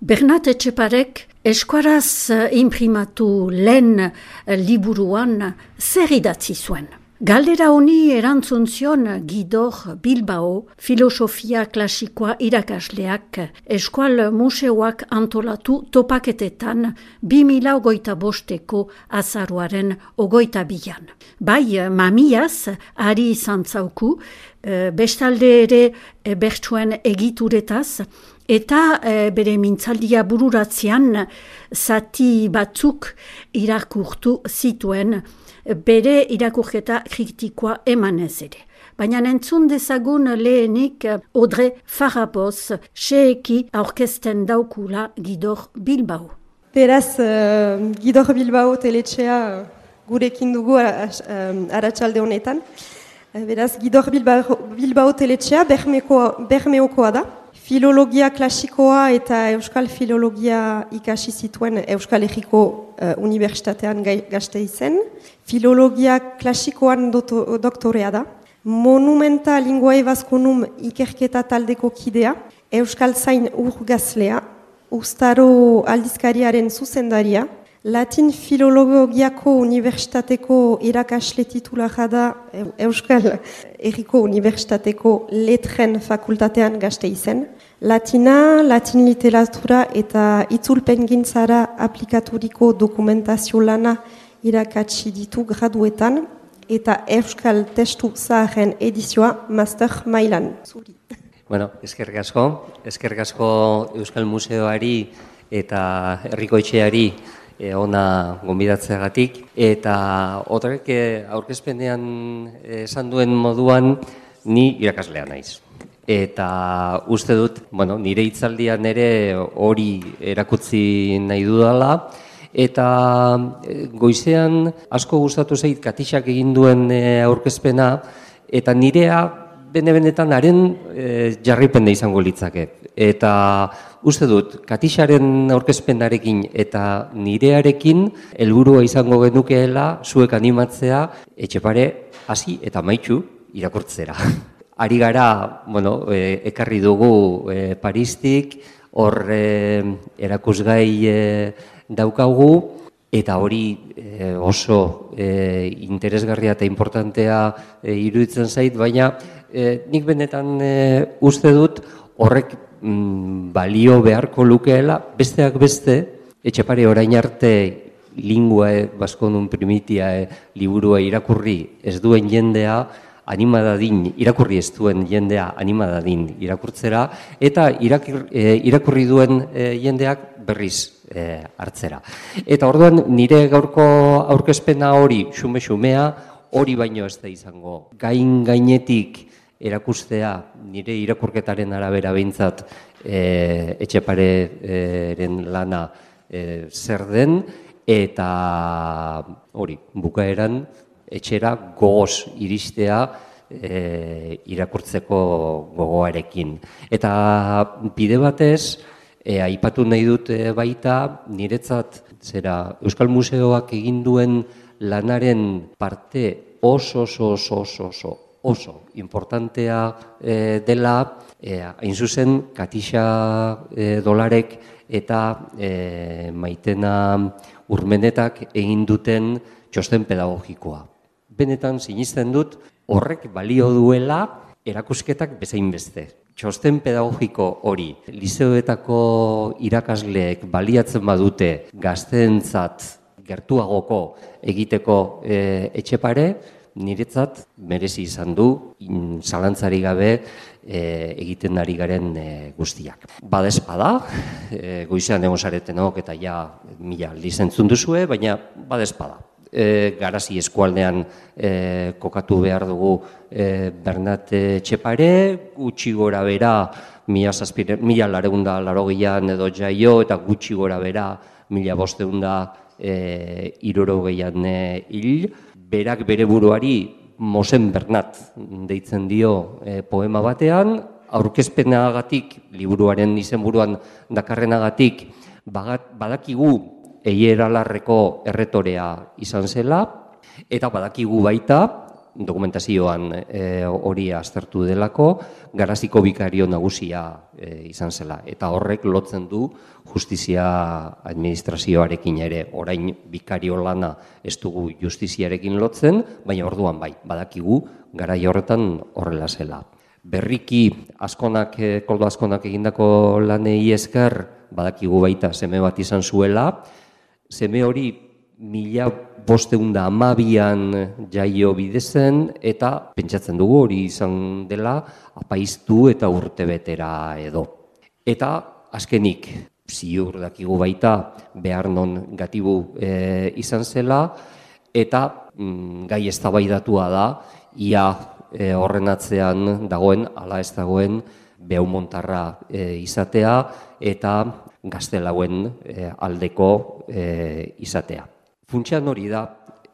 Bernat Etxeparek eskuaraz imprimatu lehen liburuan zer idatzi zuen. Galdera honi erantzun zion Guidor Bilbao, filosofia klasikoa irakasleak eskual museoak antolatu topaketetan 2025ko azaroaren 22an. Bai, mamiaz, ari izan zauku, bestalde ere bertsuen egituretaz, eta bere mintzaldia bururatzean zati batzuk irakurtu zituen, bere irakurketa kritikoa emanez ere. Baina entzun dezagun lehenik Audrey Faraboz xeeki aurkezten daukula Guidor Bilbao. Beraz, Guidor Bilbao teletxea gurekin dugu arratsalde honetan. Beraz, Guidor Bilbao teletxea Bermeokoa da. Filologia klasikoa eta euskal filologia ikasi zituen Euskal Herriko Unibertsitatean Gasteizen. Filologia klasikoan doktorea da. Monumenta Linguae Vasconum ikerketa taldeko kidea. Euskal Zain urgazlea. Uztaro aldizkariaren zuzendaria. Latin Filologiako Unibertsitateko irakasle titulara da Euskal Herriko Unibertsitateko Letren Fakultatean Gasteizen. Latin literatura eta itzulpengintzara aplikaturiko dokumentazio lana irakatsi ditu graduetan eta Euskal Testu Zaharren edizioa master mailan. Bueno, eskerrik asko Euskal Museoari eta Herriko Etxeari ona gonbidatzeagatik, eta horrek aurkezpenean esan duen moduan ni irakaslea naiz. Eta uste dut, nire hitzaldian ere hori erakutsi nahi dudala, eta goizean asko gustatu zait Katixak egin duen aurkezpena, eta nirea benetan haren jarripena izango litzake. Eta uste dut, Katixaren aurkezpenarekin eta nirearekin helburua izango genukeela zuek animatzea Etxepare hasi eta amaitu irakurtzera. Ari gara, ekarri dugu Paristik, hor erakusgai daukagu, eta hori oso interesgarria eta importantea iruditzen zait, baina nik benetan uste dut horrek balio beharko lukeela, besteak beste, Etxepare orain arte Linguae Vasconum primitia liburua irakurri ez duen jendea, irakurri ez duen jendea animadadin irakurtzera, eta irakurri duen jendeak berriz hartzera. Eta orduan nire gaurko aurkezpena hori, xume-xumea, hori baino ez da izango. Gainetik erakustea nire irakurketaren arabera behintzat Etxepareren lana zer den, eta hori, bukaeran etxera gogoz iristea irakurtzeko gogoarekin. Eta bide batez, aipatu nahi dut baita, niretzat Euskal Museoak egin duen lanaren parte oso importantea dela, hain zuzen Katixa Dolarek eta Maitena Urmenetak egin duten txosten pedagogikoa. Benetan sinisten dut horrek balio duela erakusketak bezain beste. Txosten pedagogiko hori lizeoetako irakasleek baliatzen badute gazteentzat gertuagoko egiteko Etxepare, niretzat merezi izan du zalantzarik gabe egiten ari garen guztiak. Badezpada, goizean egon zaretenok eta ja mila aldiz entzun duzue, baina badezpada. Garazi eskualdean kokatu behar dugu Bernat Etxepare, gutxi gora bera 1880an edo jaio, eta gutxi gora bera 1560an hil. Berak bere buruari Mosen Bernat deitzen dio poema batean, aurkezpenagatik, liburuaren izenburuan dakarrenagatik, badakigu Eier Alarreko erretorea izan zela, eta badakigu baita dokumentazioan hori aztertu delako, Garaziko bikario nagusia izan zela. Eta horrek lotzen du justizia administrazioarekin ere. Orain bikario lana ez dugu justiziarekin lotzen, baina orduan bai, badakigu garai horretan horrela zela. Berriki Koldo Azkonak egindako lanei esker, badakigu baita seme bat izan zuela, seme hori 1512an jaio bidezen, eta pentsatzen dugu hori izan dela apaiztu eta urtebetera edo. Eta azkenik, ziur dakigu baita behar non gatibu izan zela, eta gai eztabaidatua da, ia horren atzean dagoen, ala ez dagoen, Beaumontarra izatea eta Gaztelauen aldeko izatea. Funtsean hori da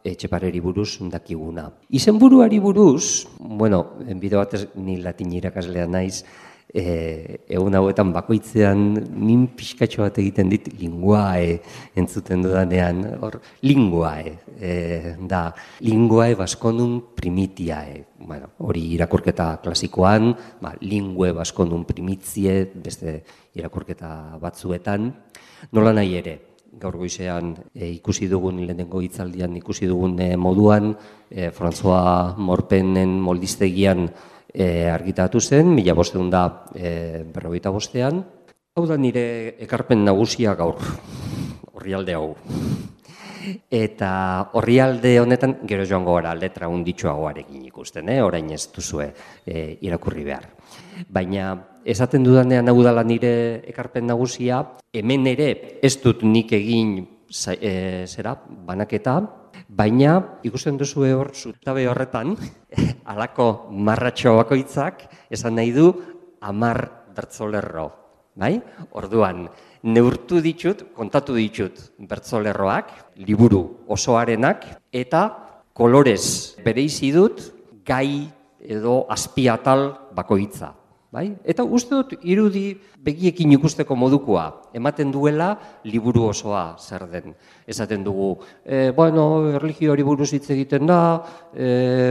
Etxepareri buruz dakiguna. Izenburuari buruz, bide batez ni latin irakaslea naiz, egun hauetan bakoitzean nin pixkatxo bat egiten dit linguae entzuten dudanean, linguae da, linguae baskonum primitiae. Hori irakurketa klasikoan, lingue baskonum primitzie, beste irakurketa batzuetan, nola nahi ere. Gaur goizean ikusi dugun, lehenengo hitzaldian ikusi dugun moduan, François Morpenen moldistegian argitatu zen, 1555. Hau da nire ekarpen nagusia gaur, orrialde hau. Eta orrialde honetan, gero joango gara letra hunditxoagoarekin ikusten, orain ez duzue irakurri behar. Baina esaten dudanean hau dela nire ekarpen nagusia, hemen ere ez dut nik egin banaketa, baina ikusten duzu hor zutabe horretan, halako marratxo bakoitzak esan nahi du 10 bertsolerro. Orduan, neurtu ditut, kontatu ditut bertsolerroak, liburu osoarenak, eta kolorez bereizi dut gai edo azpiatal bakoitza. Eta uste dut irudi begiekin ikusteko modukoa, ematen duela liburu osoa zer den. Esaten dugu, erlijioari buruz hitz egiten da,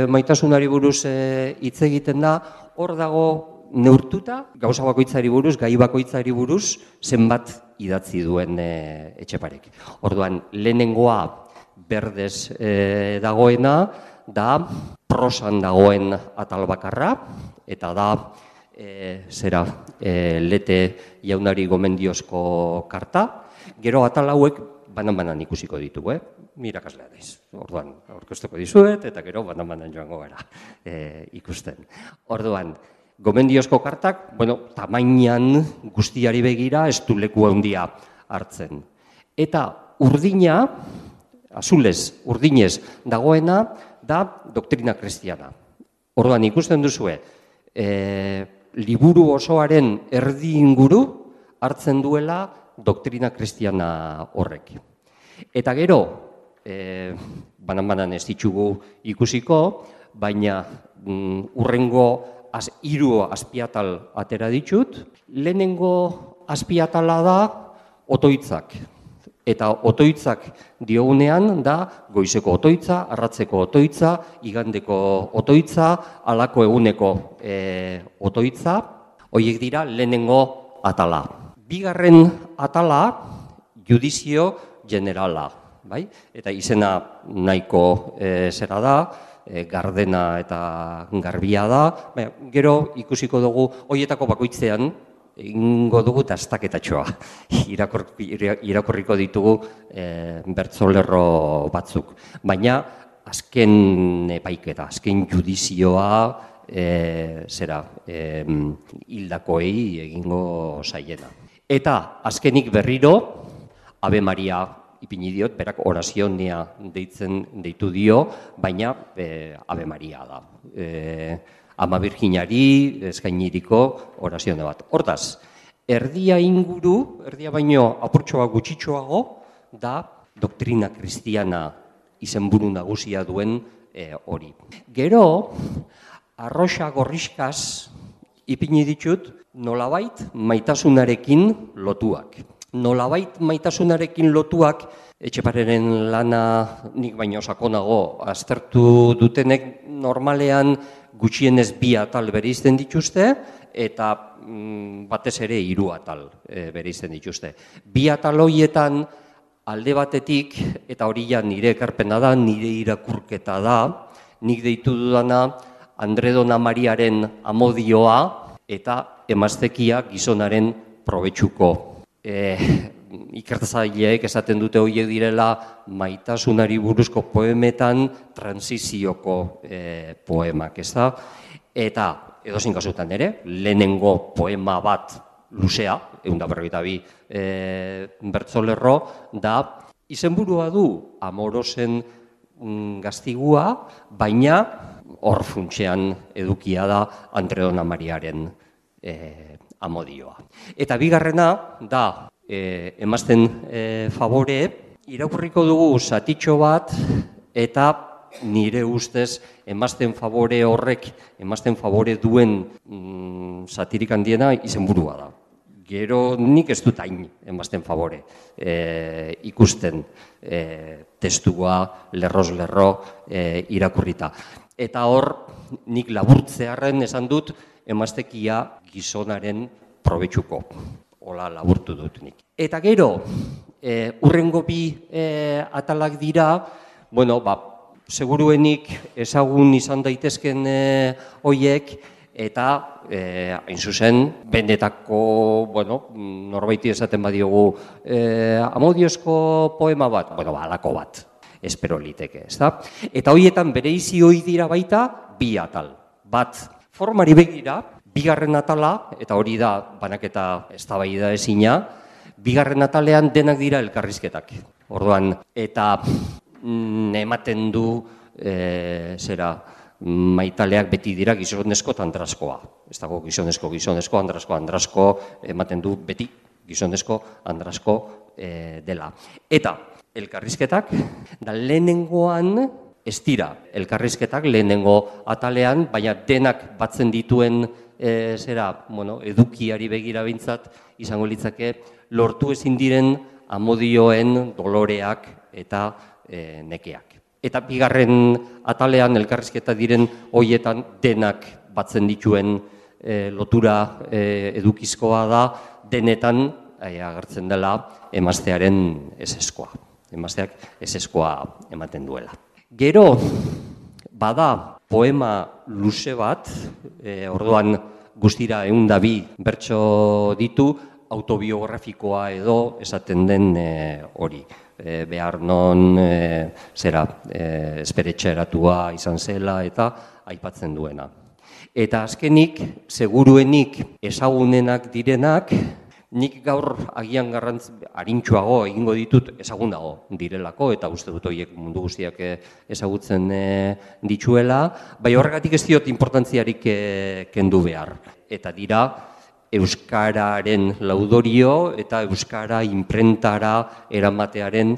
maitasunari buruz hitz egiten da, hor dago neurtuta, gauza bakoitzari buruz, gai bakoitzari buruz, zenbat idatzi duen Etxeparek. Orduan, lehenengoa berdez dagoena, da prosan dagoen atal bakarra, eta da Lete jaunari gomendiozko karta. Gero atal hauek banan-banan ikusiko ditugu, mirakaslea daiz. Orduan, aurkeztuko dizuet, eta gero banan-banan joango gara ikusten. Orduan, gomendiozko kartak, tamainan guztiari begira ez du leku handia hartzen. Eta urdina, azulez, urdinez dagoena, da doktrina kristiana. Orduan, ikusten duzue, liburu osoaren erdi inguru hartzen duela doktrina kristiana horrek. Eta gero, banan-banan ez ditugu ikusiko, baina urrengo 3 azpiatal atera ditut. Lehenengo azpiatala da otoitzak. Eta otoitzak diogunean da goizeko otoitza, arratzeko otoitza, igandeko otoitza, halako eguneko otoitza. Horiek dira lehenengo atala. Bigarren atala, judizio generala. Eta izena nahiko zera da, gardena eta garbia da. Gero ikusiko dugu horietako bakoitzean, egingo dugu dastaketatxoa. Irakurriko ditugu bertsolerro batzuk. Baina azken epaiketa, azken judizioa hildakoei egingo zaiena. Eta azkenik berriro, Ave Maria ipini diot, berak orazionia deitu dio, baina Ave Maria da. Ama Virginari eskainiriko orazione bat. Hortaz, erdia inguru, erdia baino apurtxoa gutxitxoago, da doktrina kristiana izenburu nagusia duen hori. Gero, arroxa gorriskaz ipini ditut nolabait maitasunarekin lotuak. nolabait maitasunarekin lotuak, Etxepareren lana nik baino sakonago aztertu dutenek normalean gutxienez 2 atal bereizten dituzte, eta batez ere 3 atal bereizten dituzte. 2 atal horietan alde batetik, eta hori ja nire ekarpena da, nire irakurketa da, nik deitu dudana Andredona Mariaren amodioa eta emaztekia gizonaren probetxuko. Ikertzaileek esaten dute horiek direla maitasunari buruzko poemetan transizioko poemak, ez da? Eta edozein kasutan ere, lehenengo poema bat luzea, 142 bertsolerro, da izenburua du Amorosen gaztigua, baina hor funtsean edukia da Andredona Mariaren amodioa. Eta bigarrena da emazten favore, irakurriko dugu zatitxo bat, eta nire ustez emazten favore horrek, emazten favore duen zatirik handiena izenburua da. Gero nik ez dut hain emazten favore ikusten testua lerroz lerro irakurrita. Eta hor nik laburtzearren esan dut emaztekia gizonaren probetxuko. Hola laburtu dut nik. Eta gero, hurrengo 2 atalak dira, bueno, seguruenik ezagun izan daitezken hoiek, eta hain zuzen, benetako, bueno, norbaiti esaten badiogu, amodiozko poema bat, bueno, halako bat, espero liteke, ez da? Eta horietan bereizi hoi dira baita 2 atal. Bat, formari begira, 2. atala, eta hori da banaketa eztabaida ezina, 2. atalean denak dira elkarrizketak. Orduan, eta ematen du maitaleak beti dira gizonezko eta andraskoa. Ez dago gizonezko, andrasko, ematen du beti gizonezko, andrasko dela. Eta elkarrizketak, da lehenengoan ez dira elkarrizketak lehenengo atalean, baina denak batzen dituen edukiari begira behintzat izango litzake lortu ezin diren amodioen doloreak eta nekeak. Eta 2. atalean elkarrizketa diren hoietan denak batzen dituen lotura edukizkoa da, denetan agertzen dela emaztearen ezeskoa. Emazteak ezeskoa ematen duela. Gero, bada poema luze bat, orduan guztira 102 bertso ditu, autobiografikoa edo esaten den hori. Behar non esperetxeratua izan zela eta aipatzen duena. Eta azkenik, seguruenik ezagunenak direnak, nik gaur agian harintxuago egingo ditut ezagunago direlako, eta uste dut horiek mundu guztiak ezagutzen dituela, bai horregatik ez diot importantziarik kendu behar. Eta dira, euskararen laudorio eta euskara inprentara eramatearen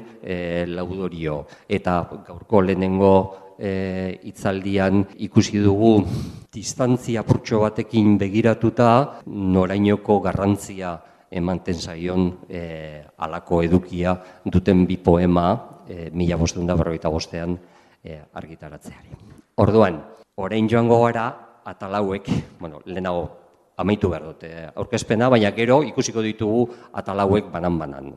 laudorio. Eta gaurko lehenengo hitzaldian ikusi dugu distantzia apurtxo batekin begiratuta norainoko garrantzia emanten zaion halako edukia duten 2 poema 1555ean argitaratzeari. Orduan, orain joango gara atal hauek, lehenago amaitu behar dute aurkezpena, baina gero ikusiko ditugu atal hauek banan-banan.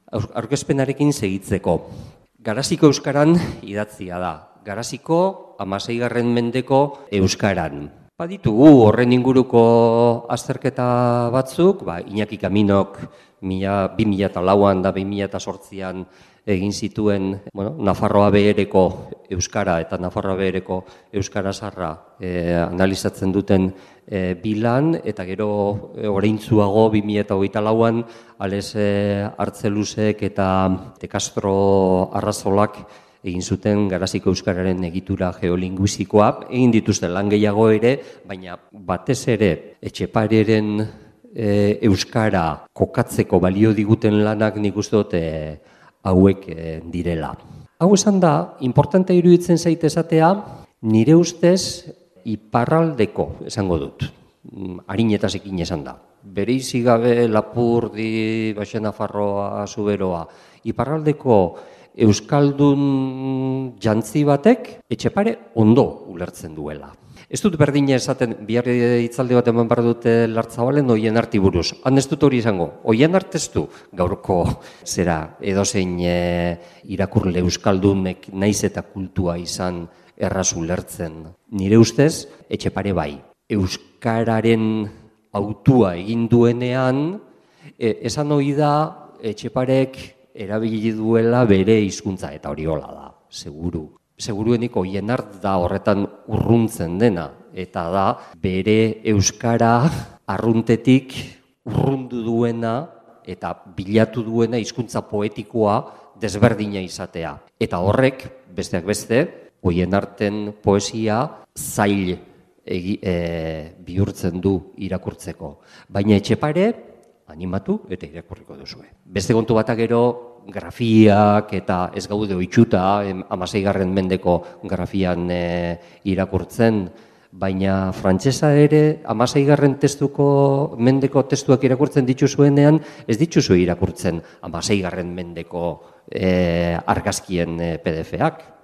Aurkezpenarekin segitzeko. Garaziko euskaran idatzia da. Garaziko 16. mendeko euskaran. Baditugu horren inguruko azterketa batzuk, Iñaki Kaminok 2004an da 2008an egin zituen Nafarroa Behereko euskara eta Nafarroa Behereko euskara zaharra analizatzen duten bilan, eta gero oraintzuago 2024an Ales Artzeluzek eta De Castro Arrazolak egin zuten Garaziko euskararen egitura geolinguistikoa, egin dituzten lan gehiago ere, baina batez ere Etxepareren euskara kokatzeko balio diguten lanak nik uste dut hauek direla. Hau esan da, importante iruditzen zait esatea, nire ustez iparraldeko esango dut, arinetasekin esan da. bereizi gabe Lapurdi, Baxe Nafarroa, Zuberoa, iparraldeko euskaldun jantzi batek Etxepare ondo ulertzen duela. Ez dut berdina esaten, bihar hitzaldi bat eman behar dute Lartzabalen Oienarti buruz. Han ez dut hori izango, Oienart ez du gaurko zera edozein irakurle euskaldunek naiz eta kultua izan erraz ulertzen. Nire ustez, Etxepare bai. Euskararen autua egin duenean, esan ohi da Etxeparek erabili duela bere hizkuntza eta hori hola da, seguru. Seguruenik Oienart da horretan urruntzen dena, eta da bere euskara arruntetik urrundu duena eta bilatu duena hizkuntza poetikoa desberdina izatea. Eta horrek, besteak beste, Oienarten poesia zail bihurtzen du irakurtzeko. Baina Etxepare animatu eta irakurriko duzue. Beste kontu batak gero, grafiak eta ez gaude ohituta 16. mendeko grafian irakurtzen, baina frantsesa ere 16. mendeko testuak irakurtzen dituzuenean, ez dituzu irakurtzen 16. mendeko argazkien PDF-ak.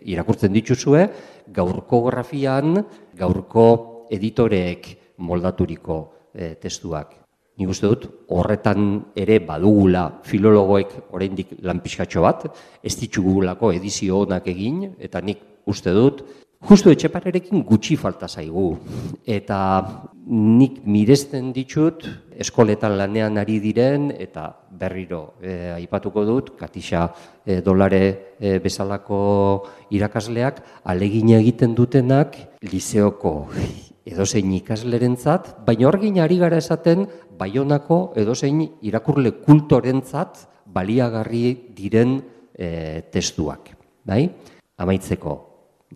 Irakurtzen dituzue gaurko grafian, gaurko editoreek moldaturiko testuak. Nik uste dut, horretan ere badugula filologoek oraindik lan pixkatxo bat, ez ditugulako edizio onak egin, eta nik uste dut, justu Etxeparerekin gutxi falta zaigu. Eta nik miresten ditut, eskoletan lanean ari diren, eta berriro aipatuko dut, Katixa Dolare bezalako irakasleak, alegina egiten dutenak, lizeoko edozein ikaslerentzat, baina horgin ari gara esaten Baionako edozein irakurle kultorentzat baliagarri diren testuak. Amaitzeko,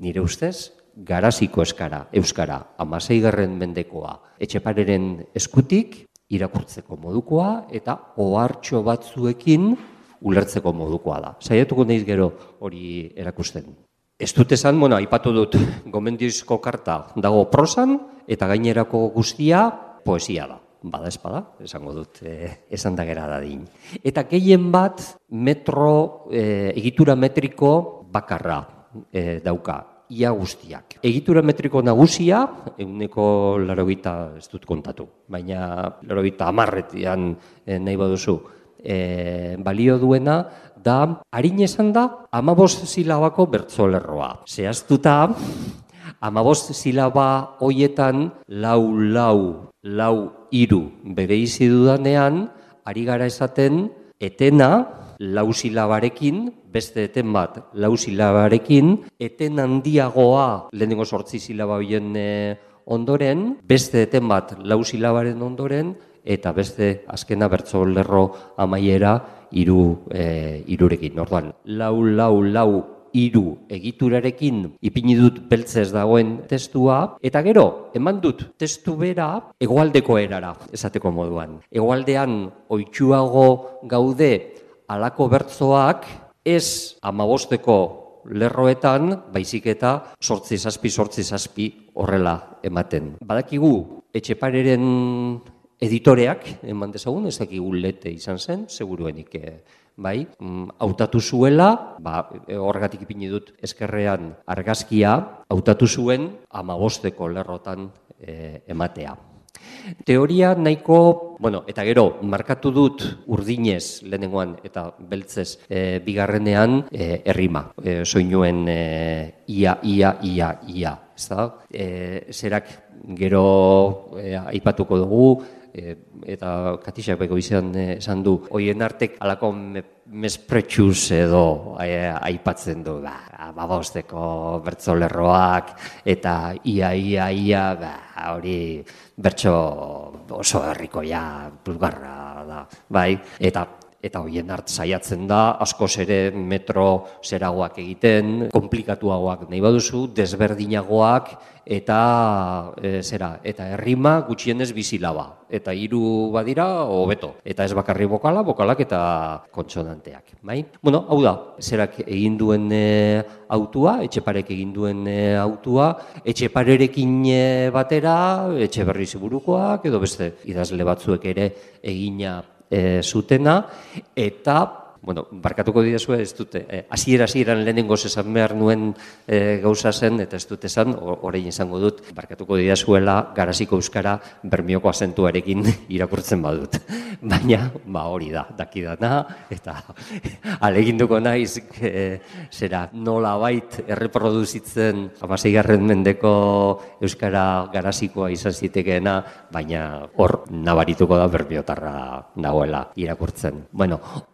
nire ustez, Garaziko euskara 16. mendekoa Etxepareren eskutik irakurtzeko modukoa eta ohartxo batzuekin ulertzeko modukoa da. Saiatuko naiz gero hori erakusten. Ez dut esan, aipatu dut, gomendioizko karta dago prosan eta gainerako guztia poesia da. Bada espada, esango dut, esan da gera dadin. Eta gehien bat egitura metriko bakarra dauka, ia guztiak. Egitura metriko nagusia, 80, ez dut kontatu, baina 80 nahi baduzu, balio duena, da, harin esan da, 15 silabako bertsolerroa. Zehaztuta, 15 silaba hoietan lau hiru bereizi dudanean, ari gara esaten, etena 4 silabarekin, beste eten bat 4 silabarekin, eten handiagoa lehenengo 8 silaba horien ondoren, beste eten bat 4 silabaren ondoren, eta beste azkena bertsolerro amaiera irurekin. Orduan, lau hiru egiturarekin ipini dut beltzez dagoen testua, eta gero, eman dut testu bera hegoaldeko erara, esateko moduan. Hegoaldean ohituago gaude halako bertsoak ez 15ko lerroetan, baizik eta 8-7 horrela ematen. Badakigu Etxepareren editoreak, eman dezagun, ez dakigu Lete izan zen, seguruenik bai, hautatu zuela, horregatik ipini dut eskerrean argazkia, hautatu zuen 15ko lerrotan ematea. Teoria nahiko, eta gero, markatu dut urdinez lehenengoan eta beltzez bigarrenean errima, soinuen ia, zerak gero aipatuko dugu, eta Katixak beko esan du, Oienartek alako mespretsuz edo aipatzen du, 15ko bertsolerroak, eta ia, hori bertso oso herrikoia, bulgarra da, bai, eta Eta hoien hart saiatzen da, askoz ere metro zeragoak egiten, komplikatuagoak nahi baduzu, desberdinagoak, eta eta errima gutxienez bizilaba. Eta 3 badira, hobeto. Eta ez bakarri bokalak eta kontsonanteak. Bai? Bueno, hau da, zerak egin duen autua, Etxeparek egin duen autua, Etxeparerekin batera, Etxeberri Ziburukoak, edo beste idazle batzuek ere egina zutena, eta barkatuko didazue, ez dute, hasieran lehenengoz esan behar nuen gauza zen, eta ez dut esan, orain izango dut, barkatuko didazuela Garaziko euskara Bermioko azentuarekin irakurtzen badut. Baina, hori da, dakidana, eta aleginduko naiz, nolabait erreproduzitzen 16. mendeko euskara Garazikoa izan zitekeena, baina hor nabarituko da Bermiotarra dagoela irakurtzen.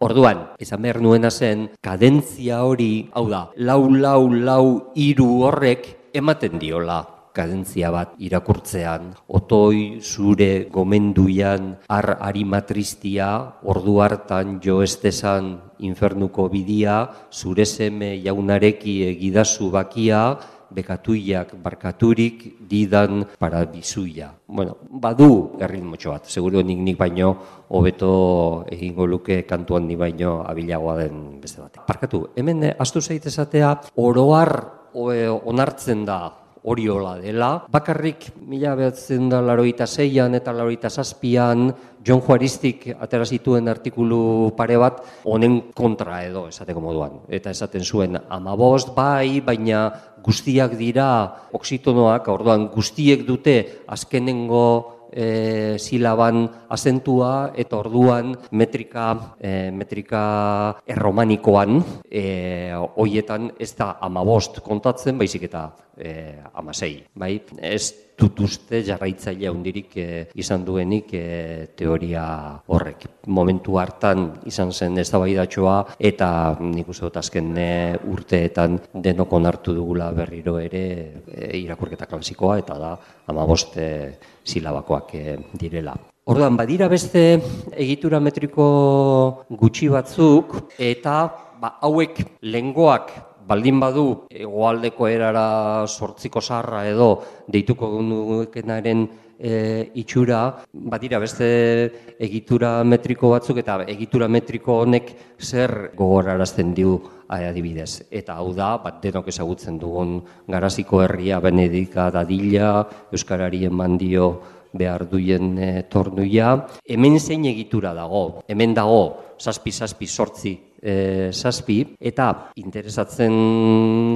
Orduan, esan behar nuena zen, kadentzia hori, hau da, 4-4-3 horrek ematen diola kadentzia bat irakurtzean. Otoi, zure, gomenduian, arimatristia, ordu hartan jo estezan infernuko bidia, zure seme jaunareki egidazu bakia, bekatuiak barkaturik didan parabizuia. Badu erritmotxo bat, seguro nik baino hobeto egingo luke kantuan nik baino abilagoa den beste bat. Barkatu, hemen astu zaitezatea oroar onartzen da hori hola dela. Bakarrik 1986an eta 1987an Jon Juaristik atera zituen artikulu pare bat honen kontra edo esateko moduan. Eta esaten zuen 15 bai, baina guztiak dira oxitonoak, orduan guztiek dute azkenengo silaban azentua, eta orduan metrika erromanikoan hoietan ez da 15 kontatzen, baizik eta 16. Bai? Ez dut uste jarraitzaile handirik izan duenik teoria horrek. Momentu hartan izan zen eztabaidatxoa, eta nik uste dut azken urteetan denok onartu dugula berriro ere irakurketa klasikoa, eta da 15 silabakoak direla. Orduan, badira beste egitura metriko gutxi batzuk, eta hauek lehengoak baldin badu hegoaldeko erara 8ko zaharra edo deituko genukenaren itxura, badira beste egitura metriko batzuk, eta egitura metriko honek zer gogorarazten du adibidez. Eta hau da, denok ezagutzen dugun Garaziko herria Benedika dadila, euskarari eman dio behar duien tornuia. Hemen zein egitura dago? Hemen dago 7-7-8 eta interesatzen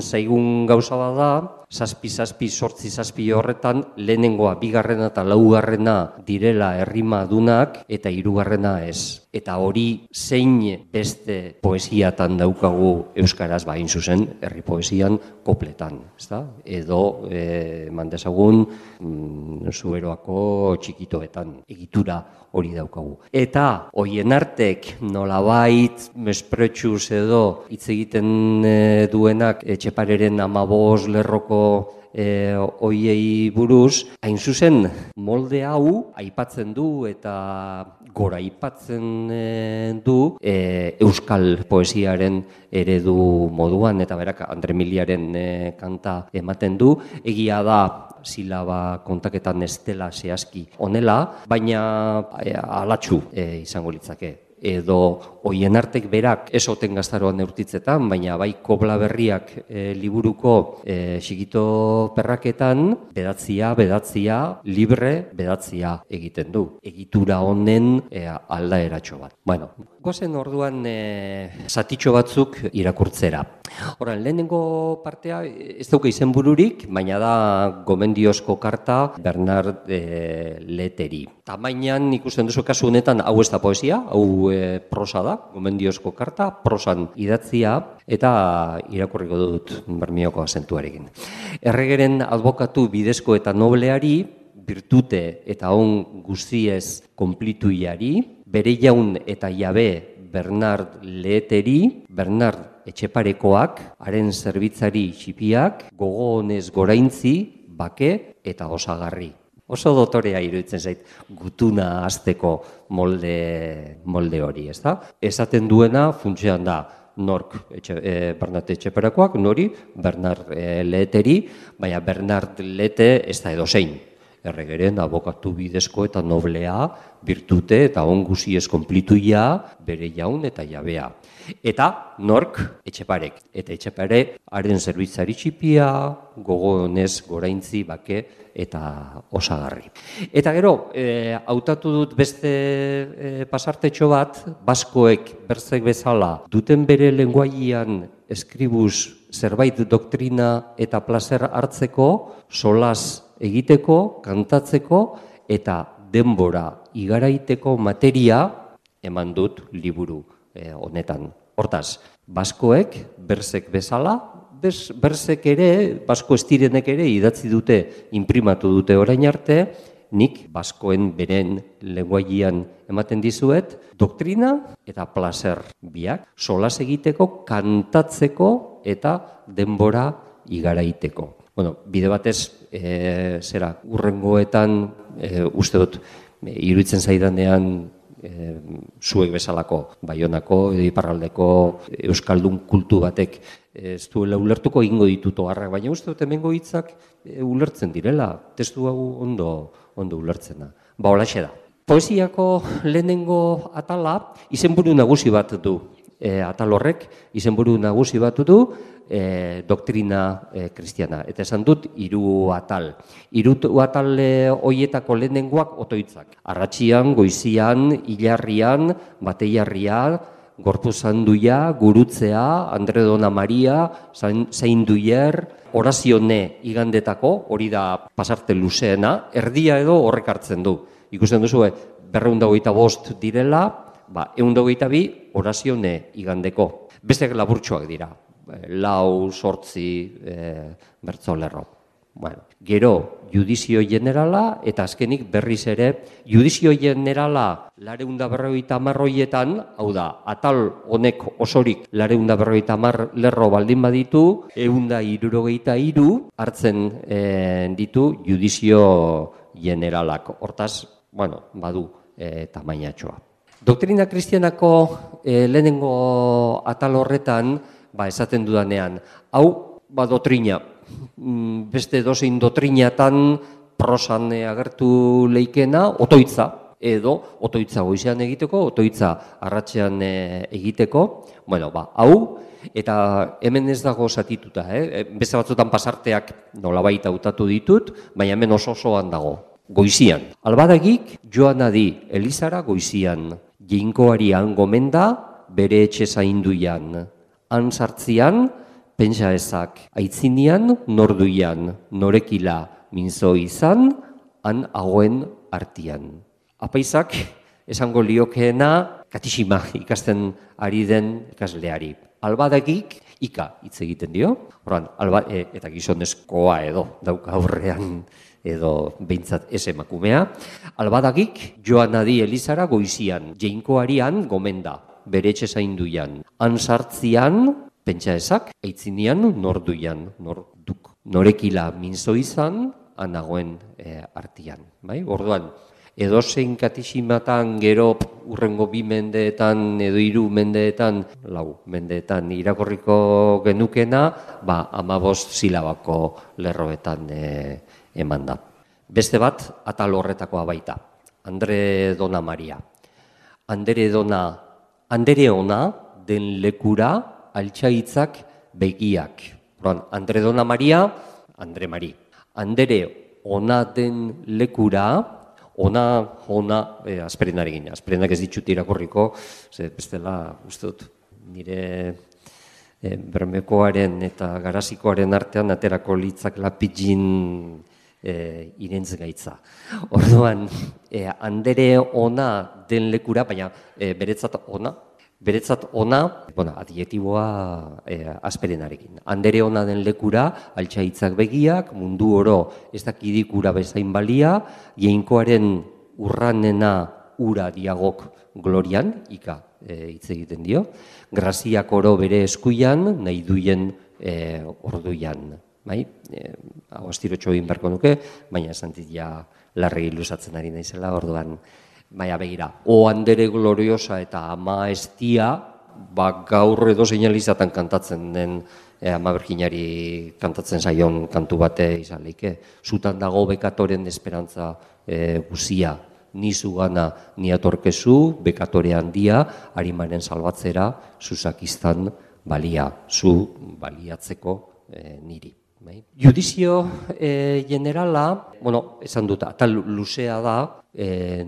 zaigun gauza bada, 7-7-8 horretan lehenengoa, 2. eta 4. direla errimadunak, eta 3. ez. Eta hori zein beste poesiatan daukagu euskaraz bain zuzen, herri poesian kopletan, ezta? Edo mandezagun Zuberoako txikitoetan egitura hori daukagu. Eta hoien artek nolabait mespretsuz edo hitz egiten duenak Etxepareren 15 lerroko hoiei buruz, hain zuzen molde hau aipatzen du eta gora aipatzen du euskal poesiaren eredu moduan, eta berak Andre Miliaren kanta ematen du. Egia da silaba kontaketan ez dela zehazki honela, baina alatsu izango litzake. Edo hoien artek berak ez oten gaztaroan neurtitzetan, baina bai Kobla Berriak liburuko txikito perraketan bedatzia, libre bedatzia egiten du. Egitura honen aldaeratxo bat. Gozen orduan zatitxo batzuk irakurtzera. Horan, lehenengo partea ez dauka izenbururik, baina da gomendiozko karta Bernard Leteri. Tamainan ikusten duzu kasu honetan hau ez da poesia, hau prosa da, gomendiozko karta, prosan idatzia, eta irakurriko dut Bermioko azentuarekin. Erregeren adbokatu bidezko eta nobleari, birtute eta on guztiez konplituiari, bere jaun eta jabe Bernard Leteri, Bernard Etxeparekoak, haren zerbitzari txipiak, gogo honez goraintzi, bake eta osagarri. Oso dotorea iruditzen zait, gutuna hasteko molde hori, ez da? Esaten duena funtsean da, nork Bernat Etxeperakoak, nori, Bernard Leheteri, baina Bernard Lehete ez da edozein. Erregeren abokatu bidezko eta noblea, birtute eta onguziez konplituia, bere jaun eta jabea. Eta nork Etxeparek. Eta Etxepare haren zerbitzari txipia, gogo honez goraintzi, bake eta osagarri. Eta gero, hautatu dut beste pasartetxo bat, baskoek berzek bezala duten bere lenguaian eskribuz zerbait doktrina eta plazer hartzeko, solas egiteko, kantatzeko eta denbora igaraiteko materia eman dut liburu honetan. Hortaz, baskoek, berzek bezala, berzek ere, basko estirenek ere idatzi dute, inprimatu dute orain arte, nik baskoen beren lenguaian ematen dizuet, doktrina eta plazer biak, solas egiteko, kantatzeko eta denbora igaraiteko. Bueno, bide batez, urrengoetan, uste dut, iruditzen zaidanean, zuek bezalako, Baionako, iparraldeko euskaldun kultu batek ez duela ulertuko egingo ditut oharrak, baina uste dut hemengo hitzak ulertzen direla, testu hau ondo ulertzena. Ba, holaxe da. Poesiako lehenengo atala izenburu nagusi bat du. Atal horrek izenburu nagusi bat du, doktrina kristiana. Eta esan dut, 3 atal. 3 atal hoietako lehenengoak otoitzak. Arratxian, goizian, hilarrian, bateiarria, gorpuzanduia, gurutzea, Andre Dona Maria, zainduier, orazione igandetako, hori da pasarte luzeena, erdia edo horrek hartzen du. Ikusten duzu, 225 direla, 122 orazione igandeko. Beste laburtsuak dira. 4 bertzolerro. Bueno, gero, judizio generala, eta azkenik berriz ere, judizio generala 450 hoietan, hau da, atal honek osorik 450 lerro baldin baditu, 163 hartzen ditu judizio generalak. Hortaz, bueno, badu tamainatxoa. Doktrina kristianako lehenengo atal horretan, esaten dudanean, hau, doktrina, beste dozein doktrinatan prosan agertu leikena, otoitza, edo otoitza goizean egiteko, otoitza arratsean egiteko, bueno, hau, eta hemen ez dago zatituta, beste batzutan pasarteak nolabait hautatu ditut, baina hemen osoan dago, goizian. Albadagik joan adi Elizara goizian, Jainkoarian gomenda bere etxe zainduian, han sartzian, pentsa ezak, aitzinian, norduian, norekila minzo izan, han hagoen artian. Apaizak, esango liokeena, katixima ikasten ari den ikasleari. Albadagik, ika hitz egiten dio, eta gizonezkoa edo, dauka aurrean edo behintzat ez emakumea. Albadagik, joan adi Elizara goizian, Jainkoarian gomenda, bere etxe zainduian. Han sartzian, pentsa ezak, aitzinian, norduian, norduk. Norekila minzo izan, han nagoen artian. Orduan, edozein katiximatan gero urrengo 2 mendeetan edo 3 mendeetan, 4 mendeetan irakorriko genukena, 15 silabako lerroetan eman da. Beste bat, atal horretakoa baita, Andre Dona Maria. Andere ona den lekura altxaitzak begiak. Andre Dona Maria, Andre Mari. Andere ona den lekura, ona, azperenarekin. Azperenak ez ditut irakurriko, bestela, uste dut, nire Bermekoaren eta Garazikoaren artean aterako litzak lapidin irentz gaitza. Orduan, andere ona den lekura, baina beretzat ona, adjektiboa azperenarekin. Andere ona den lekura, altxaitzak begiak, mundu oro ez dakidikura bezain balia, Jainkoaren urranena ura diagok glorian, ika hitz egiten dio, graziak oro bere eskuian, nahi duien orduian. bai? Hau astirotxo egin beharko nuke, baina esan dit ja larri luzatzen ari naizela, orduan, baina begira, o andere gloriosa eta ama estia, gaur edo seinalizatan kantatzen den ama Birjinari kantatzen zaion kantu bate izan leike. Zutan dago bekatoren esperantza guzia, ni zugana ni atorkezu, bekatore handia, harimaren salbatzera, zuzakiztan balia, zu baliatzeko niri. Judizio generala, esan dut, atal luzea da,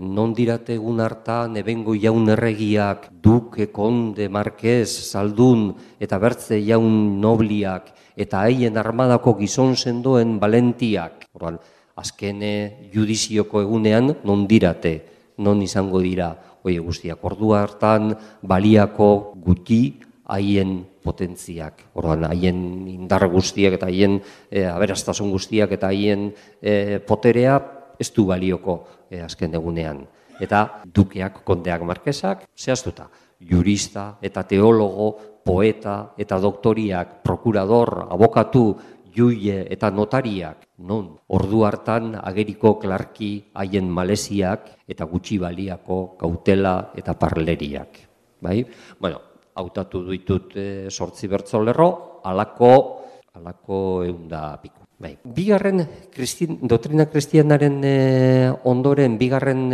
non dirate egun hartan ebengo jaun erregiak, duke, konde, markez, zaldun eta bertze jaun nobliak eta haien armadako gizon sendoen valentiak. Orduan, azkene judizioko egunean non dirate, non izango dira, oie guztiak, ordu hartan baliako guti haien potentziak, orduan, haien indar guztiak eta haien aberastasun guztiak eta haien poterea ez du balioko azken egunean. Eta dukeak, kondeak, markesak, zehaztuta, jurista eta teologo, poeta eta doktoriak, prokurador, abokatu, juile eta notariak, non ordu hartan ageriko klarki haien maleziak eta gutxi baliako kautela eta parleriak. Bai? Hautatu ditut 8 bertsolerro, halako 100 piku. Bigarren doktrina kristianaren ondoren, bigarren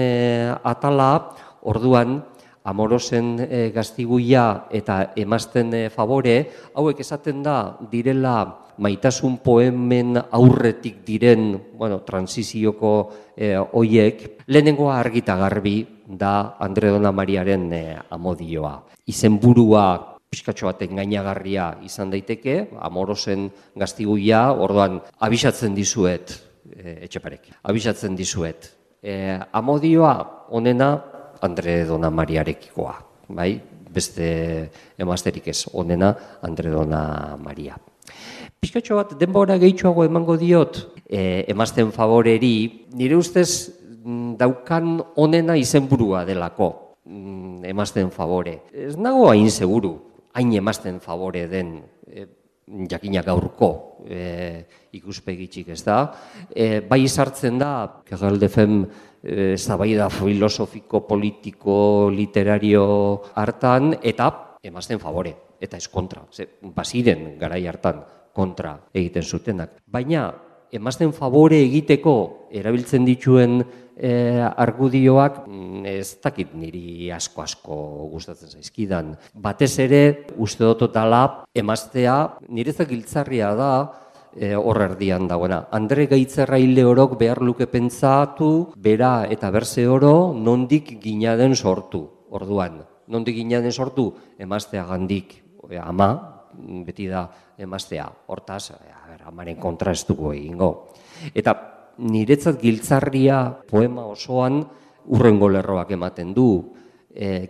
atala, orduan, amorosen gaztiguia eta emazten favore, hauek esaten da direla maitasun poemen aurretik diren, transizioko hoiek, lehenengoa argita garbi da Andre Dona Mariaren amodioa. Izenburua pixkatxo baten gainagarria izan daiteke, amorosen gaztiguia, orduan abisatzen dizuet, Etxeparek, abisatzen dizuet. Amodioa onena Andre Dona Mariarekikoa, bai? Beste emazterik ez, onena Andre Dona Maria. Pixkatxo bat denbora gehitxoago emango diot emazten favoreri, nire ustez daukan onena izenburua delako emazten favore. Ez nago hain seguru, hain emazten favore den jakina gaurko ikuspegitxik ez da. Bai sartzen da, Kegaldefem zabaida filosofiko, politiko, literario hartan, eta emazten favore, eta ez kontra. Baziren garai hartan kontra egiten zutenak. Baina emazten favore egiteko erabiltzen dituen argudioak ez dakit niri asko gustatzen zaizkidan. Batez ere, uste dototala, emaztea niretzat giltzarria da hor erdian dagoena. Andre Gaitzerraile orok behar luke pentsatu, bera eta berze oro nondik ginaden sortu. Orduan, nondik ginaden sortu, emaztea gandik, ama, beti da emaztea. Hortaz, amaren kontra ez dugu egingo. Eta niretzat giltzarria poema osoan urrengo lerroak ematen du.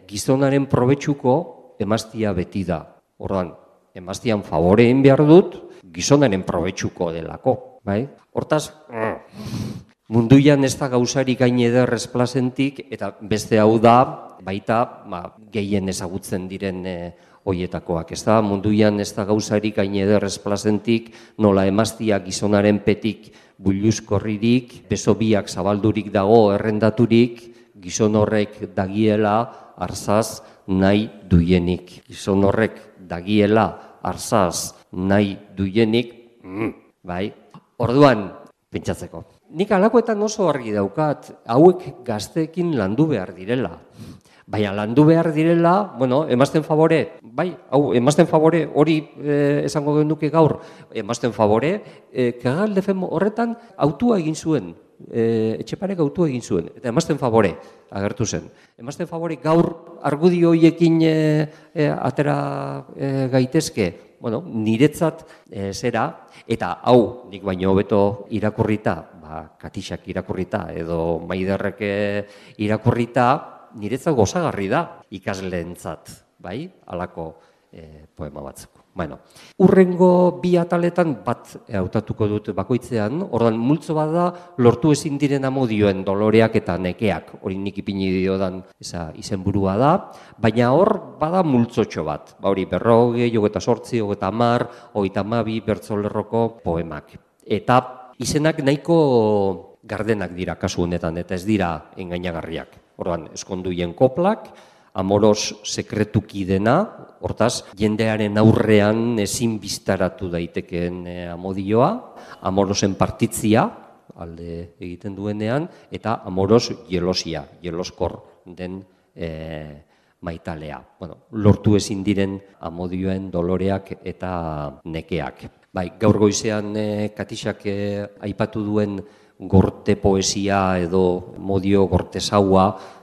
Gizonaren probetxuko emaztia beti da. Orduan, emaztian favore egin behar dut, gizonaren probetxuko delako. Hortaz, munduan ez da gauzarik gain eder esplazentik, eta beste hau da, baita gehien ezagutzen diren hoietakoak. Ez da, munduan ez da gauzarik gain eder esplazentik, nola emaztia gizonaren petik builuzkorririk, beso biak zabaldurik dago errendaturik, gizon horrek dagiela arzaz nahi duienik. Gizon horrek dagiela arzaz nahi duienik, bai. Orduan, pentsatzeko. Nik alakoetan oso argi daukat, hauek gazteekin landu behar direla. Baina landu behar direla, emazten favore, bai, emazten favore, hori esango genuke gaur, emazten favore, Kegaldefem horretan autua egin zuen, Etxeparek autua egin zuen, eta emazten favore agertu zen. Emazten favore gaur argudio horiekin atera gaitezke, niretzat zera, eta hau nik baino hobeto irakurrita, Katixak irakurrita edo Maiderrek irakurrita, niretzat gozagarri da ikasleentzat, bai, halako poema batzuk. Bueno, urrengo bi ataletan bat hautatuko dut bakoitzean, ordan multzo bat da lortu ezin diren amodioen doloreak eta nekeak, hori nik ipini diodan izenburua da, baina hor bada multzotxo bat, hori 40, 28, 30, 32 bertsolerroko poemak. Eta izenak nahiko gardenak dira kasu honetan, eta ez dira engainagarriak. Ordan eskonduien koplak, amoros sekretuki dena, hortaz, jendearen aurrean ezin biztaratu daitekeen amodioa, amorosen partitzia, alde egiten duenean, eta amoros jelosia, jeloskor den maitalea. Bueno, lortu ezin diren amodioen doloreak eta nekeak. Bai, gaur goizean Katixak aipatu duen gorte poesia edo modio gortesaua,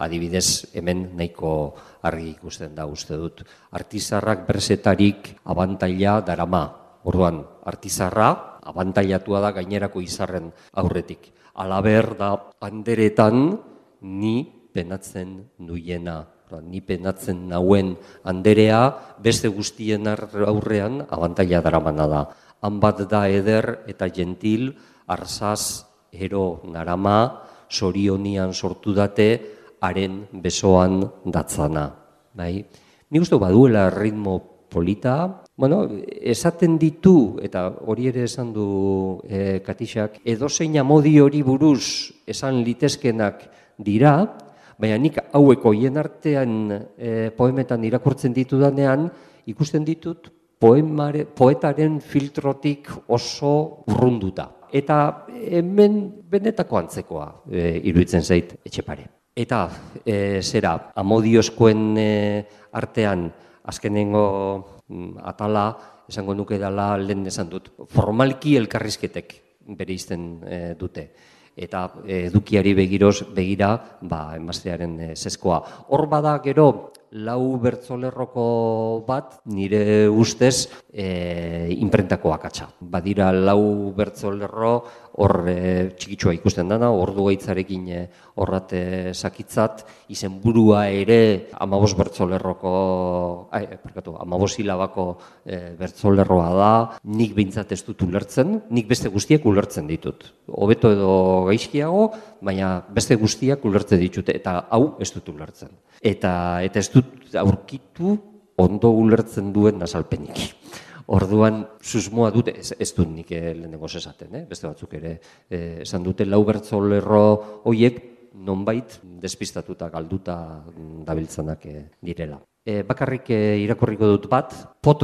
adibidez hemen nahiko argi ikusten da uste dut. Artizarrak bersetarik abantaila darama. Orduan, artizarra abantailatua da gainerako izarren aurretik. Alaber da anderetan ni penatzen nuiena. Ni penatzen nauen anderea beste guztien aurrean abantaila daramana da. Han bat da eder eta gentil, arzaz ero narama, sorionian sortu date, haren besoan datzana. Nik uste baduela ritmo polita, esaten ditu, eta hori ere esan du Katixak, edozein amodi hori buruz esan litezkenak dira, baina nik hauek horien artean poemetan irakurtzen ditudanean, ikusten ditut poetaren filtrotik oso urrunduta. Eta hemen benetako antzekoa iruditzen zait Etxepare. Eta amodiozkoen artean azkenengo atala esango nuke dela lehen esan dut. Formalki elkarrizketek bereizten dute. Eta edukiari begira emaztearen zeskoa. Hor bada gero lau bertsolerroko bat nire ustez inprentako akatsa. Badira lau bertsolerro hor txikitsua ikusten dana, ordu gaitzarekin horrat sakitzat, izenburua ere 15 bertsolerroko, 15 silabako bertsolerroa da, nik behintzat ez dut ulertzen, nik beste guztiak ulertzen ditut. Hobeto edo gaizkiago, baina beste guztiak ulertzen ditut, eta hau ez dut ulertzen. Eta ez dut aurkitu ondo ulertzen duen azalpenik. Orduan, susmoa dute, ez dut nik lehenengo esaten, beste batzuk ere esan dute, lau bertsolerro horiek nonbait despistatuta, galduta dabiltzanak direla. Bakarrik irakurriko dut bat, pot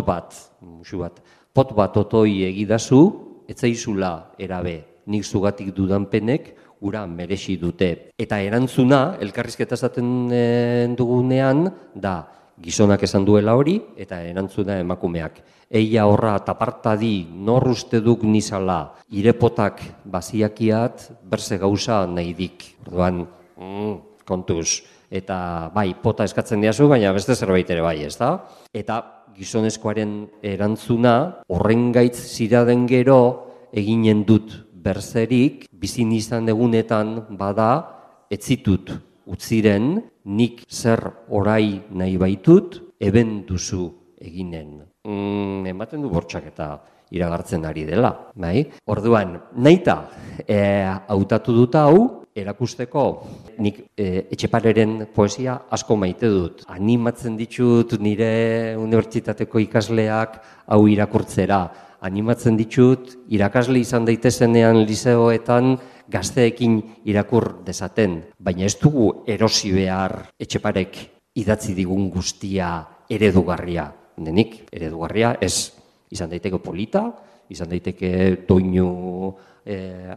bat otoi egidazu, etzaizula erabe, nik zugatik dudanpenek, ura merezi dute. Eta erantzuna, elkarrizketa esaten dugunean, da gizonak esan duela hori, eta erantzuna emakumeak. Eia horra tapartadi nor uste duk nizala, irepotak baziakiat, berze gauza nahi dik. Orduan, kontuz. Eta bai, pota eskatzen diazu, baina beste zerbait ere bai, ez da? Eta gizonezkoaren erantzuna, horren gaitz ziraden gero, eginen dut berzerik, bizin izan egunetan bada, etzitut utziren, nik zer orai nahi baitut, eben duzu eginen. Ematen du bortxak eta iragartzen ari dela. Orduan, nahita hautatu dut hau, erakusteko nik Etxepareren poesia asko maite dut. Animatzen ditut nire unibertsitateko ikasleak hau irakurtzera. Animatzen ditut irakasle izan daitezenean lizeoetan gazteekin irakur dezaten. Baina ez dugu erosi behar Etxeparek idatzi digun guztia eredugarria. Denik, eredugarria ez izan daiteke polita, izan daiteke doinu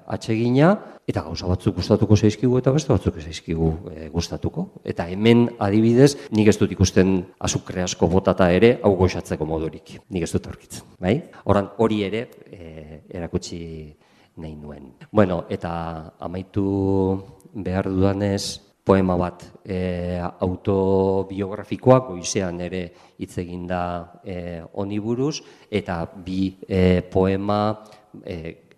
atsegina, eta gauza batzuk gustatuko zaizkigu eta beste batzuk zaizkigu gustatuko. Eta hemen adibidez, nik ez dut ikusten azukre asko botata ere, hau goxatzeko modurik. Nik ez dut aurkitzen. Horan hori ere erakutsi nahi nuen. Bueno, eta amaitu behar dudanez, poema bat autobiografikoa, goizean ere hitz egin da honi buruz, eta bi poema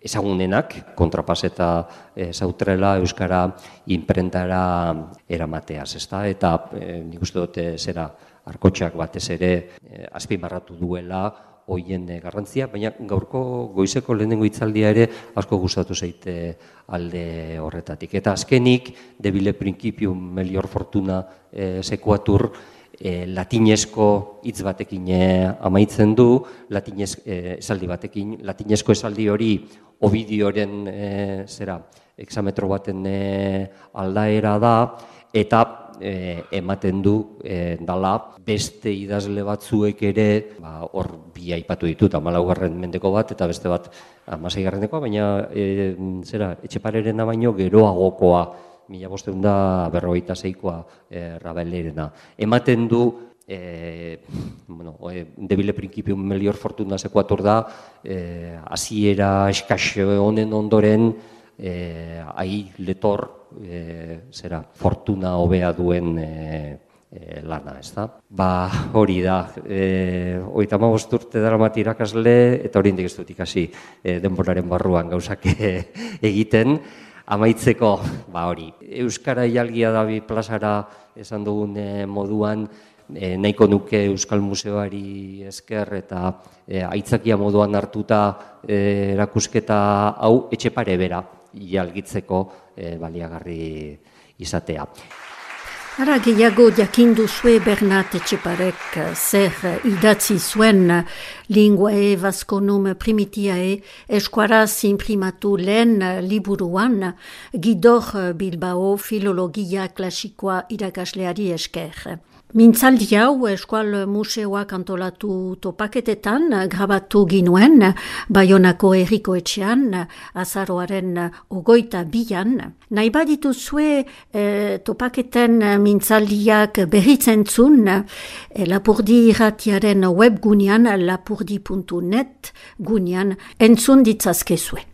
ezagunenak, Kontrapas eta Sautrela euskara inprentara eramateaz, ezta? Eta nik uste dut Arkotxak batez ere azpimarratu duela hoien garrantzia, baina gaurko goizeko lehenengo hitzaldia ere asko gustatu zaite alde horretatik. Eta azkenik, debile principium melior fortuna sekuatur, latinezko hitz batekin amaitzen du, esaldi batekin, latinezko esaldi hori Ovidioren hexametro baten aldaera da, eta ematen du dala beste idazle batzuek ere, hor bi aipatu ditut, 14. mendeko bat eta beste bat 16. baina Etxeparerena baino geroagokoa, 1556koa Rabelerena. Ematen du debile principium melior fortuna sekuatur da, hasiera eskas honen ondoren letor fortuna hobea duen lana, ez da? Hori da, 35 urte daramat irakasle, eta oraindik ez dut ikasi denboraren barruan gauzak egiten. Amaitzeko, hori, Euskara ialgia da bi plazara esan dugun moduan, nahiko nuke Euskal Museoari esker eta aitzakia moduan hartuta erakusketa hau Etxepare bera ialgitzeko baliagarri izatea. Ara gehiago jakindu zue Bernat Etxeparek zer idatzi zuen Linguae Vasconum Primitiae eskuaraz imprimatu lehen liburuan Gidor Bilbao filologia klasikoa irakasleari esker. Mintzaldi hau Eskual Museoak antolatu topaketetan grabatu ginuen Baionako Herriko Etxean azaroaren 22an. Nahi baditu zue topaketen mintzaldiak berritzentzun Lapurdi irratiaren webgunean lapurdi.net gunean entzun ditzazkezue.